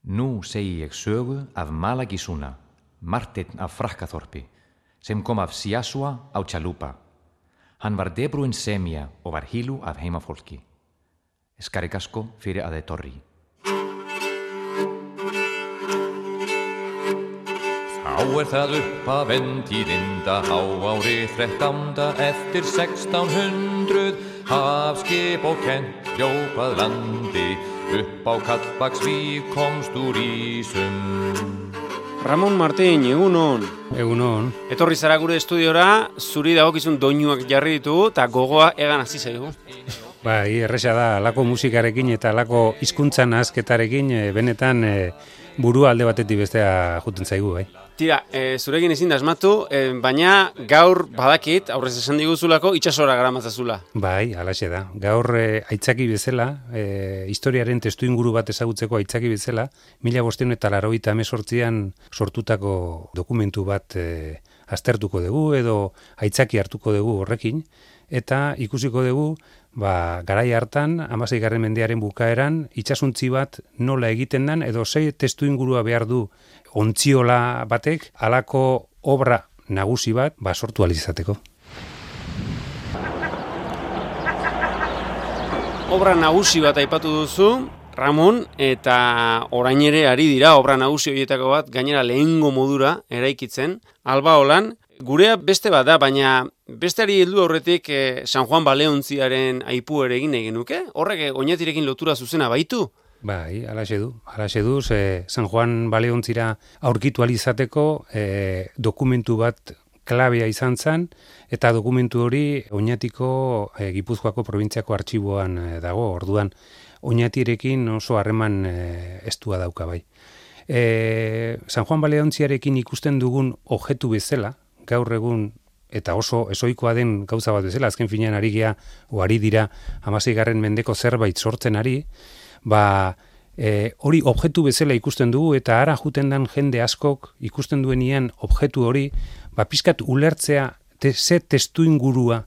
Nú segi ég sögu af Malagisúna, Marteinn af Frakkaþorpi, sem kom af Siasua á Chalupa. Hann var debrúinn semja og var hílu af heimafólki. Skarigasko fyrir aðeins torri. Þá það upp af endíðinda háári 13. eftir 1600 hafskip og kennt hljópað landi upp á Kallbaksvík komst úr ísum. Ramon Martín, egunon. Egunon. Etorri zara gure estudiora, zuri dagokizun doinuak jarri ditu eta gogoa egan hasi zaigu. Bai, erresa da, alako musikarekin eta alako hizkuntza nahazketarekin benetan burua alde batetik bestea juten zaigu, bai. Tira, zurekin ezin da asmatu, baina gaur badakit, aurrez esan diguzulako, itxasora garamatzazula. Bai, halaxe da. Gaur aitzaki bezala, historiaren testuinguru bat ezagutzeko aitzaki bezala, 1588an sortutako dokumentu bat aztertuko dugu edo aitzaki hartuko dugu horrekin, eta ikusiko dugu garai hartan, 16. mendearen bukaeran, itsasuntzi bat nola egiten den, edo sei testuingurua behar du ontziola batek, halako obra nagusi bat sortu ahal izateko. Obra nagusi bat aipatu duzu, Ramon, eta orain ere ari dira obra nagusi horietako bat, gainera lehengo modura eraikitzen, Albaolan. Gurea beste bat da, baina besteari heldu aurretik San Juan Baleontziaren aipu ere egin nahi genuke? Horrek oinatirekin lotura zuzena baitu? Bai, halaxe du, San Juan Baleontzira aurkitu ahal izateko dokumentu bat klabea izan zen, eta dokumentu hori Oñatiko Gipuzkoako probintziako artxiboan dago, orduan Oñatirekin oso harreman estua dauka bai. San Juan Baleontziarekin ikusten dugun objektu bezala, gaur egun eta oso ezoikoa den gauza bat bezala, azken finean ari dira 16. mendeko zerbait sortzen ari, hori objektu bezala ikusten dugu eta ara juten den jende askok ikusten duenean objektu hori, pixkat ulertzea ze testuingurua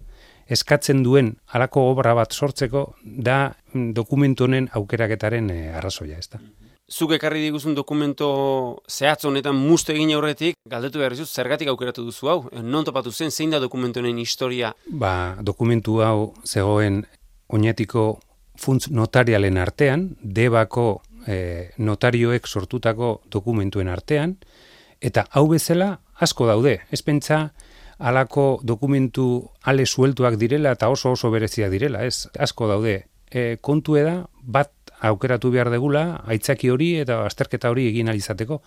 eskatzen duen halako obra bat sortzeko da dokumentu honen aukeraketaren arrazoia, ezta. Zuk ekarri diguzun dokumento zehatz honetan muste egin aurretik, galdetu behar dizut, zergatik aukeratu duzu hau? Non topatu zen, zein da dokumentu honen historia? Dokumentu hau zegoen Oñatiko funtz notarialen artean, Debako notarioek sortutako dokumentuen artean, eta hau bezala asko daude. Ez pentsa halako dokumentu ale sueltuak direla eta oso bereziak direla, ez asko daude. Kontu da bat aukeratu behar degula, aitzaki hori eta azterketa hori egin ahal izateko.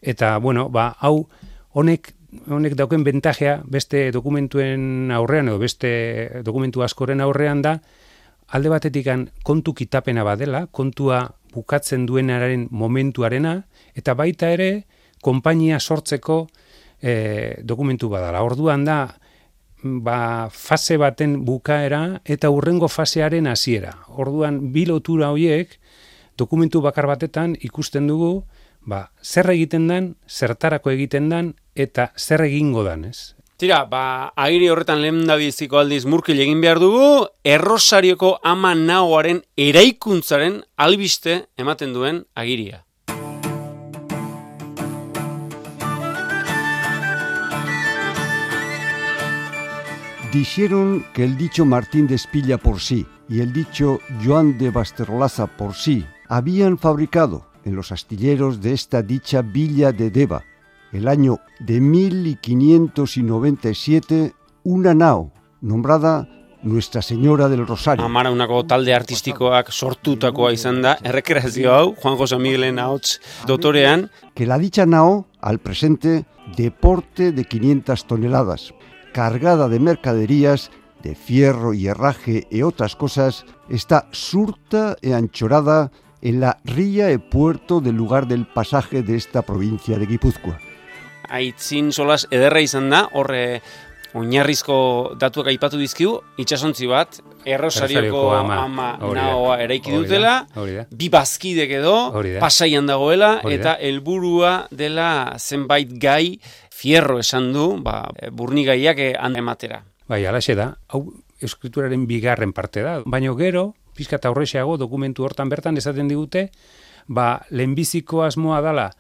Eta, hau honek dauken bentajea beste dokumentuen aurrean edo beste dokumentu askoren aurrean da, alde batetik kontu kitapena badela, kontua bukatzen duenaren momentuarena, eta baita ere konpainia sortzeko dokumentu badala. Orduan da, fase baten bukaera eta hurrengo fasearen hasiera. Orduan, bi lotura horiek dokumentu bakar batetan ikusten dugu zer egiten den, zertarako egiten den eta zer egingo den, ez? Tira, agiri horretan lehendabiziko aldiz murkil egin behar dugu, Errosarioko ama naoaren eraikuntzaren albiste ematen duen agiria. Dijeron que el dicho Martín de Espilla por sí y el dicho Joan de Basterrolaza por sí habían fabricado en los astilleros de esta dicha villa de Deva, el año de 1597, una nao nombrada Nuestra Señora del Rosario. Amaraunako talde artistikoak sortutakoa izan da, errekreazio hau, Juan José Miguelen ahots dotorean. Que la dicha nao, al presente, de porte de 500 toneladas, cargada de mercaderías, de fierro y herraje y otras cosas, está surta e anchorada en la ría e puerto del lugar del pasaje de esta provincia de Guipúzcoa. Aitzin solas ederra izan da, horre oinarrizko datuak aipatu dizkigu, itsasontzi bat, Errosarioko ama naoa eraiki dutela, bi bazkidek edo, pasaian dagoela, eta helburua dela zenbait gai, fierro esan du, burnigaiak ematera. Bai, halaxe da, hau eskrituraren bigarren parte da, baina gero, pizkat aurrexeago dokumentu hortan bertan esaten digute, lehenbiziko asmoa dala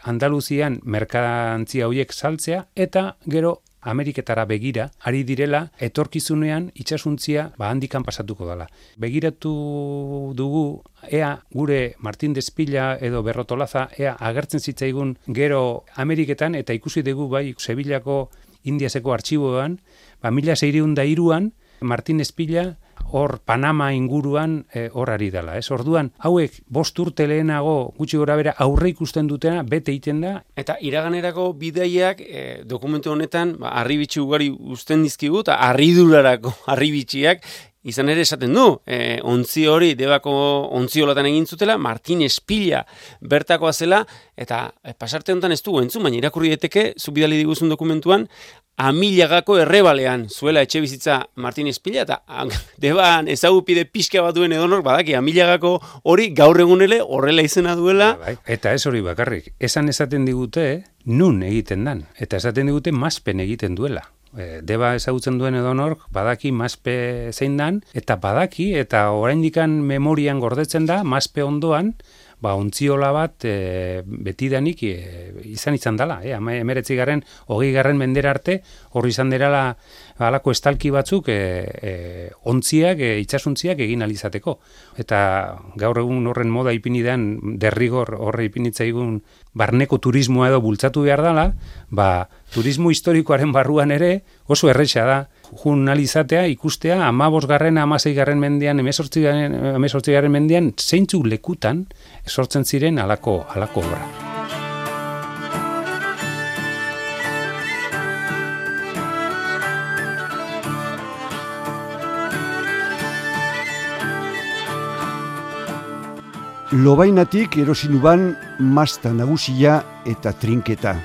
Andaluzian merkantzia horiek saltzea, eta gero Ameriketara begira, ari direla, etorkizunean itxasuntzia handikan pasatuko dela. Begiratu dugu, ea gure Martin de Espilla edo Berrotolaza, ea agertzen zitzaigun gero Ameriketan, eta ikusi dugu bai Sevillako Indiaseko artxiboan, 1603an, Martin Espilla hor Panama inguruan hor ari dela. Orduan, hauek 5 urte lehenago gutxi gora bera aurre ikusten dutena bete egiten da. Eta iraganerako bidaiak dokumentu honetan harribitxi ugari uzten dizkigu, eta harridurarako harribitxiak izan ere esaten du, ontzi hori Debako ontziolatan egin zutela, Martin Espilla bertakoa zela, eta pasarte honetan ez dugu entzun, baina irakurri daiteke, zubidali diguzun dokumentuan, Amillagako errebalean zuela etxe bizitza Martin Espilla, eta Deban ezagupide pixka bat duen edonor, badaki, Amillagako hori gaur egunele horrela izena duela. Eta ez hori bakarrik, esaten digute nun egiten dan, eta esaten digute Maspen egiten duela. Deba ezagutzen duen edonork badaki Maspe zein dan, eta badaki, eta oraindikan memorian gordetzen da, Maspe ondoan, ontziola bat betidanik izan dela. 19. 20. mendera arte, horri izan derala halako estalki batzuk ontziak, itxasuntziak egin alizateko. Eta gaur egun horren moda ipinidean, derrigor horre ipinitzaigun barneko turismoa edo bultzatu behar dela, turismo historikoaren barruan ere oso erresa da. Jun alizatea, ikustea, 15. 16. mendean, 18. mendean, zeintzuk lekutan sortzen ziren halako obra. Lobainatik erosinuban masta nagusia eta trinketa,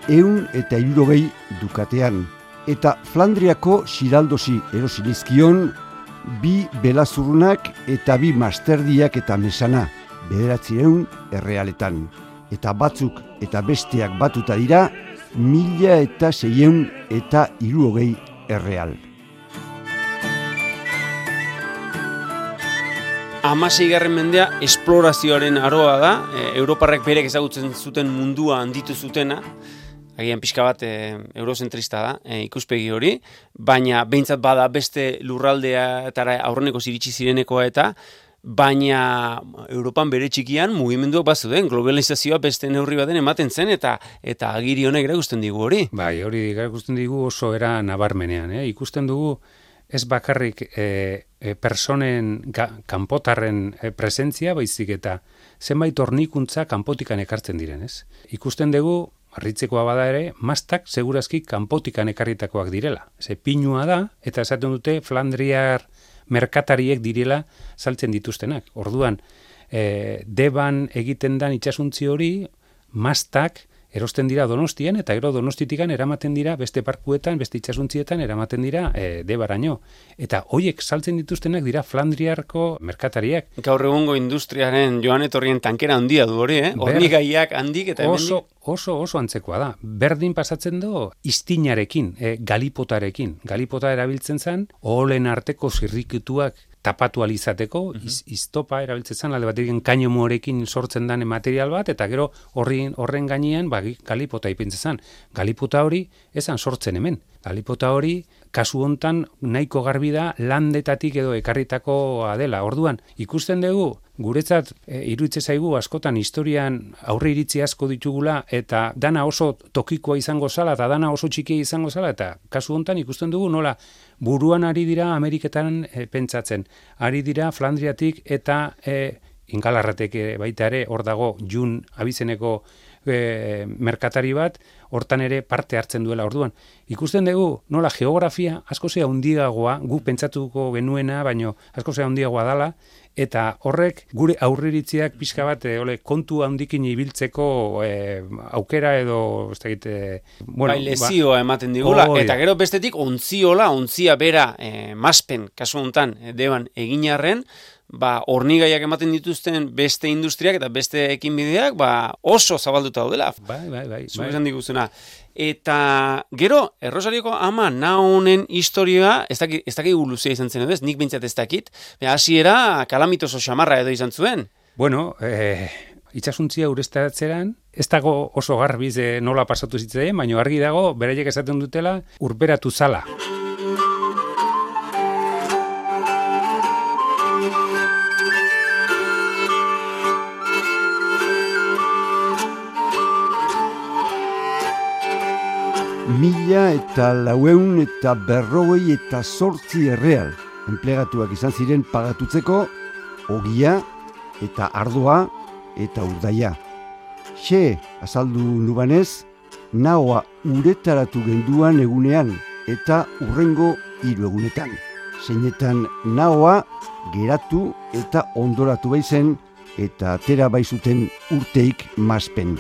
160 dukatean, eta Flandriako Xiraldosi erosinizkion 2 belazurrunak eta 2 masterdiak eta mesana, 900 errealetan. Eta batzuk eta besteak batuta dira 1660 erreal. 16. mendea esplorazioaren aroa da, Europarrek berek ezagutzen zuten mundua handitu zutena, agian pixka bat eurozentrista da, ikuspegi hori, baina behintzat bada beste lurraldeatara aurreneko iritsi zirenekoa eta, baina Europan bere txikian mugimenduak bazuden, globalizazioa beste neurri baten ematen zen, eta agiri honek erakusten digu hori. Bai, hori erakusten digu oso era nabarmenean, ikusten dugu ez bakarrik personen kanpotarren presentzia, baizik eta zenbait hornikuntza kanpotikan ekartzen diren, ez? Ikusten dugu, harritzekoa bada ere, mastak segurazki kanpotikan ekarritakoak direla. Pinua da, eta esaten dute Flandriar merkatariek direla saltzen dituztenak. Orduan, Deban egiten dan itsasuntzi hori, mastak erosten dira Donostian, eta gero Donostitikan eramaten dira beste parkuetan, beste itsasuntzietan eramaten dira Debaraino. Eta hoiek saltzen dituztenak dira Flandriarko merkatariak. Gaur egungo industriaren joan etorrien tankera handia du hori, hornigaiak handik eta hemendik. Oso antzekoa da. Berdin pasatzen do iztinarekin, galipotarekin. Galipota erabiltzen zen, oholen arteko zirrikituak tapatu alizateko, iztopa erabiltzen zen, alde batekin kainomorekin sortzen den material bat, eta gero horren gainean galipota ipintzen zen. Galipota hori esan sortzen hemen. Galipota hori, kasu hontan nahiko garbi da landetatik edo ekarritakoa dela. Orduan, ikusten dugu, guretzat iruditzen zaigu askotan historian aurre iritzi asko ditugula, eta dana oso tokikoa izango zala, eta dana oso txikia izango zala, eta kasu hontan ikusten dugu nola buruan ari dira Ameriketan pentsatzen. Ari dira Flandriatik eta Ingalarratek baita ere hor dago Jun abizeneko merkatari bat, hortan ere parte hartzen duela. Orduan, ikusten dugu nola geografia asko zea handiagoa, guk pentsatuko genuena, baino asko zea handiagoa dala, eta horrek gure aurriritziak pixka bat kontu handikin ibiltzeko aukera edo lezioa ematen digula, eta gero bestetik ontzia bera Maspen, kasu honetan Deban eginarren, hornigaiak ematen dituzten beste industriak eta beste ekinbideak oso zabalduta daudela. Bai. Zuesan diguzuna. Eta gero, Errosarioko ama nahonen historioa, ez dakit luzea izan zen edo ez, nik bintzat ez dakit, hasiera kalamitoso xamarra edo izan zuen. Bueno, itxasuntzia ureztatzeran, ez dago oso garbiz nola pasatu zitzaien, baina argi dago, beraiek esaten dutela, urberatu zala. Mila eta 948 erreal enplegatuak izan ziren pagatutzeko ogia eta ardoa eta urdaia. Xe, azaldu nubanez, nahoa uretaratu genduan egunean eta urrengo 3 egunetan. Zeinetan nahoa geratu eta ondoratu baizen eta atera baizuten urteik mazpen.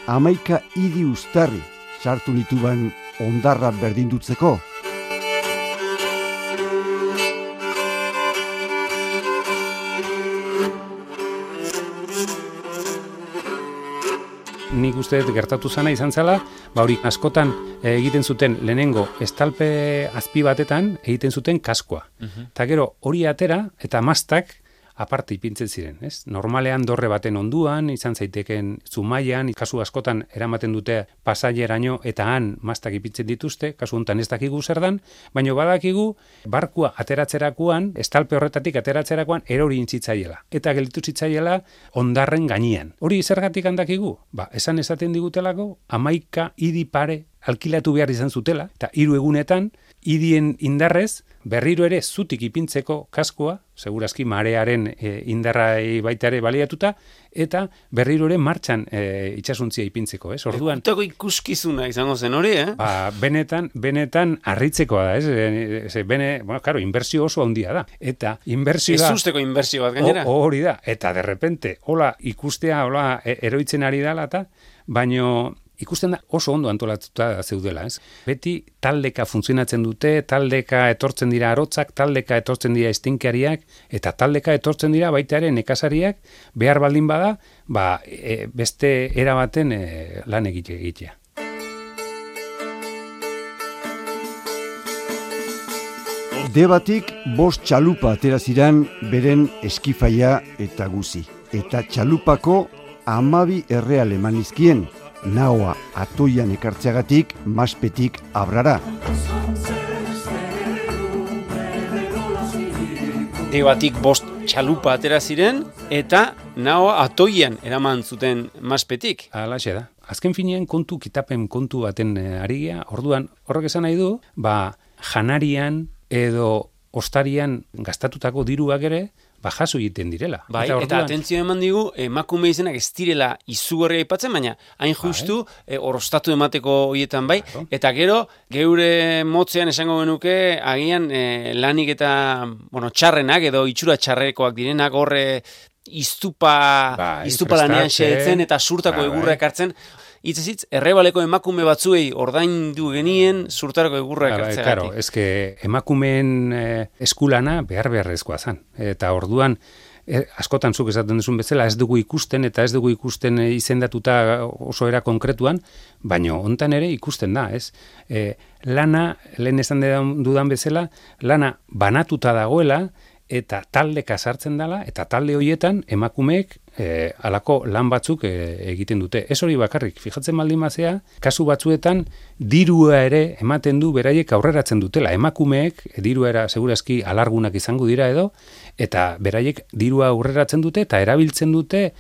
11 hiri uztarri sartu nituban ondarra berdindutzeko. Nik uste gertatu zana izan zela, hori askotan egiten zuten lehenengo estalpe azpi batetan egiten zuten kaskoa. Eta gero hori atera eta mastak aparte ipintzen ziren, ez? Normalean dorre baten onduan, izan zaiteken Zumaian, kasu askotan eramaten dute Pasaieraraino eta han mastak ipintzen dituzte, kasu honetan ez dakigu zer dan, baina badakigu barkua ateratzerakoan, estalpe horretatik ateratzerakoan erori intzitzaiela. Eta gelditu zitzaiela ondarren gainean. Hori zergatik handakigu? Esaten digutelako, 11 hiri pare alkilatu behar izan zutela, eta 3 egunetan, hirien indarrez, berriro ere zutik ipintzeko kaskoa, segurazki marearen indarrai baita ere baliatuta, eta berriro ere martxan itxasuntzia ipintzeko, ez? Orduan, Ekutako ikuskizuna izango zen hori, benetan harritzekoa da, ez? Claro, inbertsio oso handia da. Eta inbertsioa... Ez usteko inbertsio bat gainera. Hori da, eta derrepente, hola ikustea, hola eroitzen ari dela, eta baino... Ikusten da oso ondo antolatuta zeudela, ez? Beti taldeka funtzionatzen dute, taldeka etortzen dira arotzak, taldeka etortzen dira istinkariak, eta taldeka etortzen dira baita ere nekazariak, behar baldin bada, beste erabaten lan egitea. Debatik 5 txalupa atera ziran beren eskifaia eta guzi. Eta txalupako 12 erreal eman izkien. Nahoa atoian ekartzeagatik maspetik abrara. Debatik 5 txalupa atera ziren eta nahoa atoian eraman zuten maspetik. Halaxe da. Azken finean kitapen kontu baten arigia, orduan horrek esan nahi du, janarian edo ostarian gastatutako diruak ere, jaso egiten direla. Bai, eta atentzio eman digu, emakume izenak ez direla izugarria aipatzen, baina hain justu orostatu emateko horietan bai, eta gero, geure motzean esango genuke, agian lanik eta txarrenak edo itxura txarrekoak direnak horre iztupa lanean xeetzen eta surtako egurra ekartzen, Itzezitz, errebaleko emakume batzuei ordaindu genien surtarako egurra ekartzeagatik. Claro, eske emakumeen eskulana beharrezkoa zen. Eta orduan, askotan zuk esaten duzun bezala, ez dugu ikusten izendatuta oso era konkretuan, baina hontan ere ikusten da, ez? Lana, lehen esan dudan bezala, lana banatuta dagoela, eta taldeka sartzen dela, eta talde horietan emakumeek alako lan batzuk egiten dute. Ez hori bakarrik, fijatzen baldin bazea, kasu batzuetan dirua ere ematen du beraiek aurreratzen dutela. Emakumeek dirua segurazki alargunak izango dira edo, eta beraiek dirua aurreratzen dute eta erabiltzen dute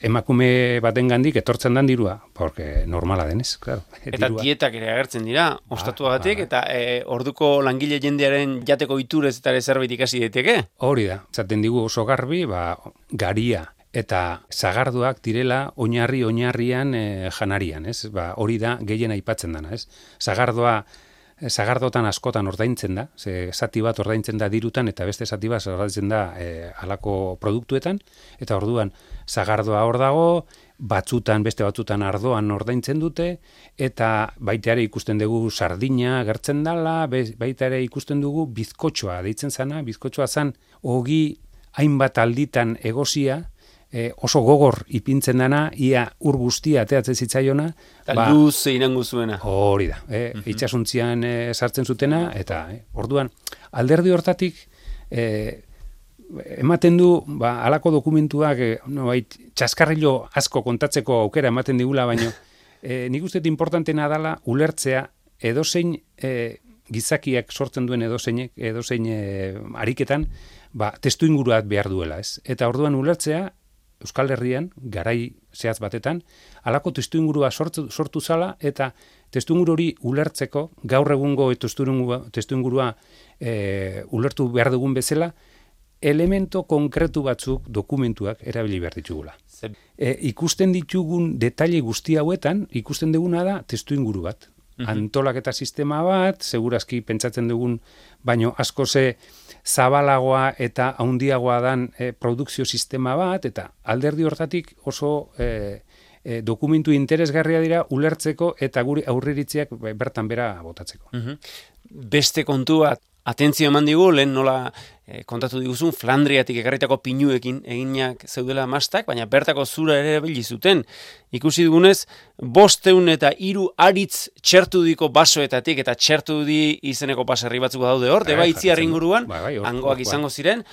emakume batengandik etortzen dan dirua, porque normala denez, claro. Eta dietak ere agertzen dira, ostatuagatik, eta orduko langile jendearen jateko iturez eta zerbait ikasi daiteke. Hori da, zaten digu oso garbi, garia eta zagardoak direla oinarrian janarian, ez? Hori da gehien aipatzen dana, ez? Zagardotan askotan ordaintzen da, zati bat ordaintzen da dirutan eta beste zati bat ordaintzen da halako produktuetan, eta orduan zagardoa hor dago, beste batzutan ardoan ordaintzen dute, eta baita ere ikusten dugu sardina gertzen dela, baita ere ikusten dugu bizkotxoa deitzen zana, bizkotxoa zan ogi hainbat alditan egosia, oso gogor ipintzen dana, ia ur guztia ateatzen zitzaiona. Eta luz irango zuena. Hori da, itxasuntzian sartzen zutena, eta orduan, alderdi hortatik, ematen du, halako dokumentuak, txaskarrilo asko kontatzeko aukera ematen digula, baino, nik uste importantena dela ulertzea edozein gizakiak sortzen duen edozein ariketan, testu inguruat behar duela, ez? Eta orduan ulertzea, Euskal Herrian, garai zehatz batetan, halako testu ingurua sortu zala, eta testu inguru hori ulertzeko, gaur egungo testu ingurua ulertu behar dugun bezala, elemento konkretu batzuk dokumentuak erabili behar ditugula. Ikusten ditugun detaile guzti hauetan, ikusten duguna da testu inguru bat. Antolaketa sistema bat, segurazki pentsatzen dugun, baino asko zabalagoa eta handiagoa dan produkzio sistema bat, eta alderdi hortatik oso dokumentu interesgarria dira ulertzeko eta guri aurreritziak bertan bera botatzeko. Beste kontu bat, atentzio eman digu, lehen nola kontatu diguzun, Flandriatik ekarritako pinuekin eginak zeudela mastak, baina bertako zura ere erabili zuten. Ikusi dugunez, 500 eta 3 aritz txertu diko basoetatik, eta txertu di izeneko baserri batzuk daude hor, deba itziar inguruan, hangoak izango ziren,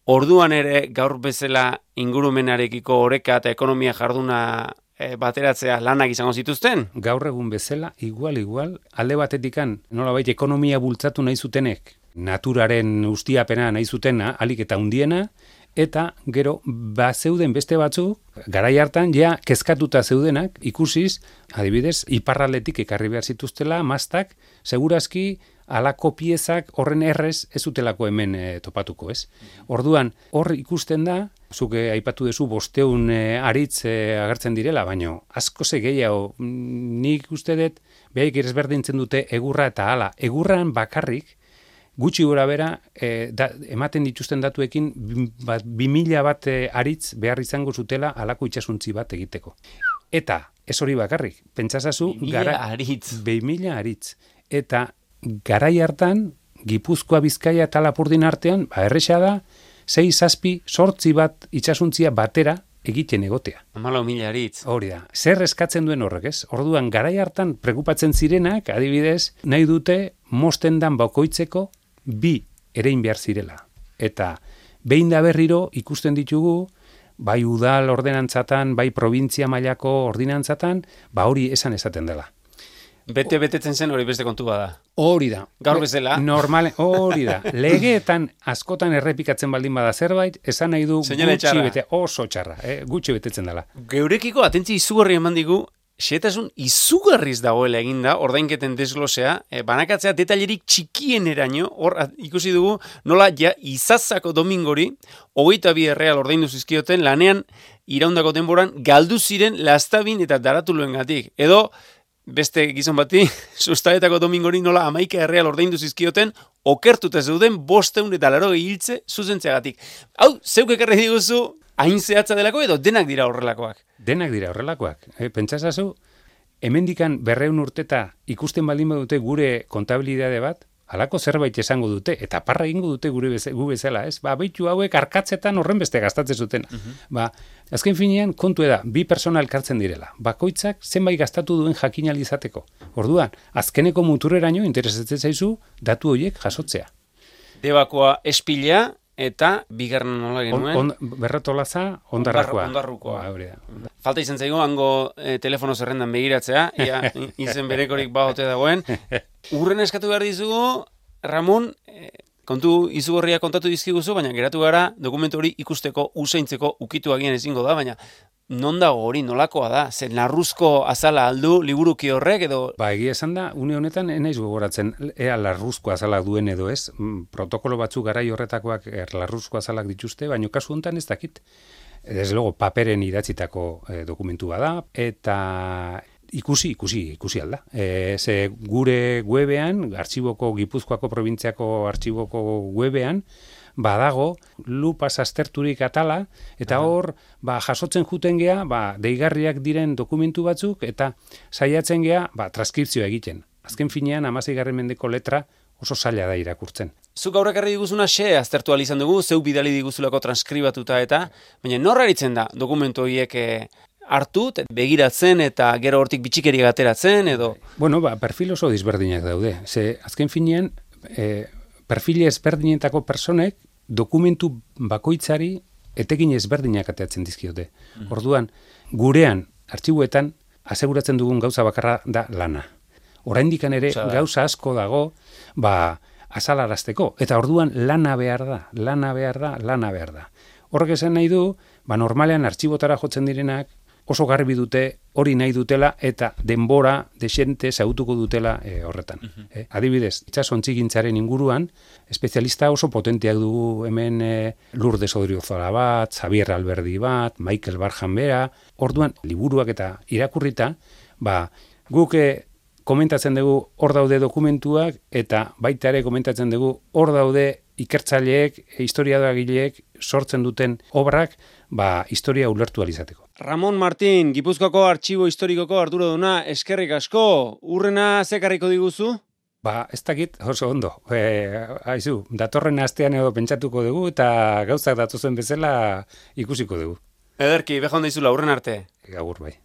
orduan ere gaur bezala ingurumenarekiko oreka eta ekonomia jarduna bateratzea lanak izango zituzten? Gaur egun bezala, igual, alde batetikan, nolabait ekonomia bultzatu nahi zutenek, naturaren ustiapena nahi zutena, alik eta hundiena, eta gero, zeuden beste batzuk, garai hartan, ja, kezkatuta zeudenak, ikusiz, adibidez, iparraldetik ekarri behar zituztela, mastak, segurazki, halako piezak horren errez ez utelako hemen topatuko, ez? Orduan, hor ikusten da, zuke aipatu dezu 500 aritz agertzen direla, baino asko gehiago, nik uste dut, behaik ezberdintzen dute egurra eta hala. Egurran bakarrik, gutxi gora bera, ematen dituzten datuekin, 2000 bat aritz behar izango zutela halako itsasuntzi bat egiteko. Eta, ez hori bakarrik, pentsazazu, 2000 aritz. Eta, garai hartan, Gipuzkoa, Bizkaia eta Lapurdin artean, erresa da, 6-8 bat itsasuntzia batera egiten egotea. 14.000 aritz. Hori da. Zer eskatzen duen horrek, ez? Orduan, garai hartan prekupatzen zirenak, adibidez, nahi dute mosten dan bakoitzeko 2 erein behar zirela. Eta behin da berriro ikusten ditugu, bai udal ordenantzatan, bai provintzia mailako ordinantzatan, hori esaten dela. Betetzen zen hori beste kontu bada. Hori da. Gaur bezala. Hori da. Legeetan askotan errepikatzen baldin bada zerbait, esan nahi du oso txarra, gutxi betetzen dela. Geurekiko atentzi izugarri eman digu, xehetasun izugarriz dagoela eginda, ordainketen desglosea, banakatzea detailerik txikien eraino, hor ikusi dugu, nola ja Izazako domingori, 22 erreal ordaindu zizkioten, lanean iraundako denboran, galdu ziren Lastabin eta Daratuluengatik. Edo, beste gizon bati, sustaetako domingori nola 11 erreal ordaindu zizkioten, okertuta zeuden 580 hiltze zuzentzeagatik. Hau, zeuk ekarri diguzu, hain zehatza delako edo denak dira horrelakoak? Denak dira horrelakoak. Pentsazazu, hemendikan 200 urteta ikusten baldin badute gure kontabilidade bat, halako zerbait esango dute, eta parra egingo dute gu bezala, ez? Beitu hauek arkatzetan horren beste gastatzen zuten. Azken finean, kontu da, 2 persona elkartzen direla. Bakoitzak zenbait gastatu duen jakin izateko. Orduan, azkeneko muturreraino interesatzen zaizu datu horiek jasotzea. Debakoa espilea eta bigarren nola genuen? Berrotolaza, ondarrakoa. Ondarrukoa. Falta izan zaigu, hango telefono zerrendan begiratzea, izen berekorik baote dagoen. Urren eskatu behar dizugu, Ramon, kontu izugarria kontatu dizkiguzu, baina geratu gara dokumentu hori ikusteko, usaintzeko, ukitu agian ezingo da, baina non dago hori, nolakoa da? Zer larruzko azala aldu, liburuki horrek edo? Egia esan da, une honetan enaiz gogoratzen, ea larruzko azalak duen edo ez, protokolo batzuk garai horretakoak larruzko azalak dituzte, baina kasu honetan ez dakit. Desde luego, paperen idatzitako dokumentu bada, eta ikusi alda. Ze gure webean, Gipuzkoako probintziako artxiboko webean, badago, lupas azterturik atala, eta hor, jasotzen juten gea, deigarriak diren dokumentu batzuk, eta saiatzen gea, transkripzioa egiten. Azken finean, 16. mendeko letra oso zaila da irakurtzen. Zuk aurrek erri diguzuna aztertu alizan dugu, zeu bidali diguzulako transkribatuta eta, baina norra eritzen da dokumentu horiek hartu, begiratzen eta gero hortik bitxikeria ateratzen edo? Bueno, perfil oso disberdinak daude. Ze azken finean, perfile ezberdinetako personek dokumentu bakoitzari etekin ezberdinak ateatzen dizkiote. Orduan, gurean, artxibuetan, aseguratzen dugun gauza bakarra da lana. Oraindikan ere gauza asko dago, azalarazteko. Eta orduan lana behar da. Horrek esan nahi du, normalean artxibotara jotzen direnak, oso garbi dute, hori nahi dutela, eta denbora desente zautuko dutela horretan. Adibidez, itxasontzigintzaren inguruan, espezialista oso potenteak dugu hemen Lourdes Odriozola bat, Xavier Alberdi bat, Michael Barjan bera, orduan, liburuak eta irakurrita, guk komentatzen dugu hor daude dokumentuak, eta baita ere komentatzen dugu hor daude ikertzaileek, historiadoagileek sortzen duten obrak, historia ulertu alizateko. Ramon Martín, Gipuzkoako Artxibo Historikoko arduraduna, eskerrik asko, urrena zekarriko diguzu? Ez dakit, oso ondo. Aizu, datorren astean edo pentsatuko dugu, eta gauzak datozen bezala ikusiko dugu. Ederki, beha onda izula, urren arte. Gaur bai.